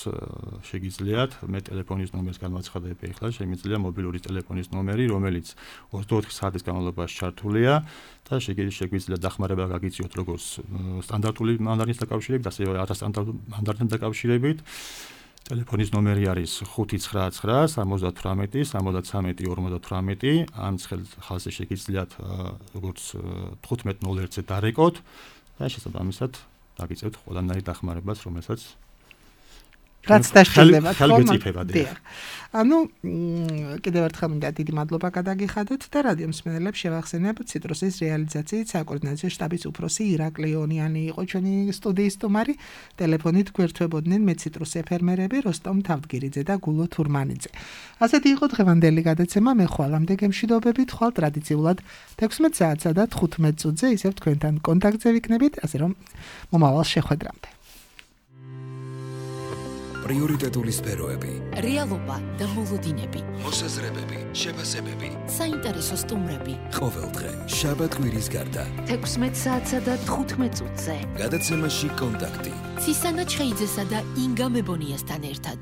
E: შეგიძლიათ მე ტელეფონის ნომერს განვაცხადებ ახლა, შემიძლია მობილური ტელეფონის ნომერი, რომელიც 24 საათის განმავლობაში ჩართულია და შეგვიძლია დახმარება გაგიწიოთ როგორც სტანდარტული მანდარინის დაკავშირებით, ასევე არასტანდარტული მანდარინთან დაკავშირებით. ტელეფონის ნომერი არის 599 78 73 58. ამ ხალხზე შეგიძლიათ როგორც 15:01-ზე დარეკოთ და შესაბამისად დაგიწევთ ყველანაირ დახმარებას, რომელსაც
D: რაც დაშლება
E: ხელგეწიფება.
D: ანუ კიდევ ერთხელ მინდა დიდი მადლობა გადაგიხადოთ და რადიო მსმენელებს შევახსენებ, ციტრუსის რეალიზაციით საკოორდინაციო შტაბის უფროსი ირაკლი ონიანი იყო ჩვენი სტუდიის სტუმარი. ტელეფონით გვერდთვებოდნენ მეციტრუსე ფერმერები როსტომ თავდგირიძე და გულო თურმანიძე. ასეთი იყო დღევანდელი გადაცემა. მე ხვალამდე გემშვიდობებით, ხვალ ტრადიციულად 16 საათსა და 15 წუთზე ისევ თქვენთან კონტაქტზე ვიქნებით, ასე რომ მომავალ შეხვედრამდე.
A: პრიორიტეტული სფეროები,
B: რეალობა და მოლოდინები,
A: მოსაზრებები, შეფასებები,
B: საინტერესო სტუმრები.
A: ყოველდღე, შაბათ-კვირის გარდა.
C: 16 საათსა და 15 წუთზე.
A: გადაცემაში კონტაქტი.
B: ცისანა ჩხეიძესა და ინგა მებონიასთან ერთად.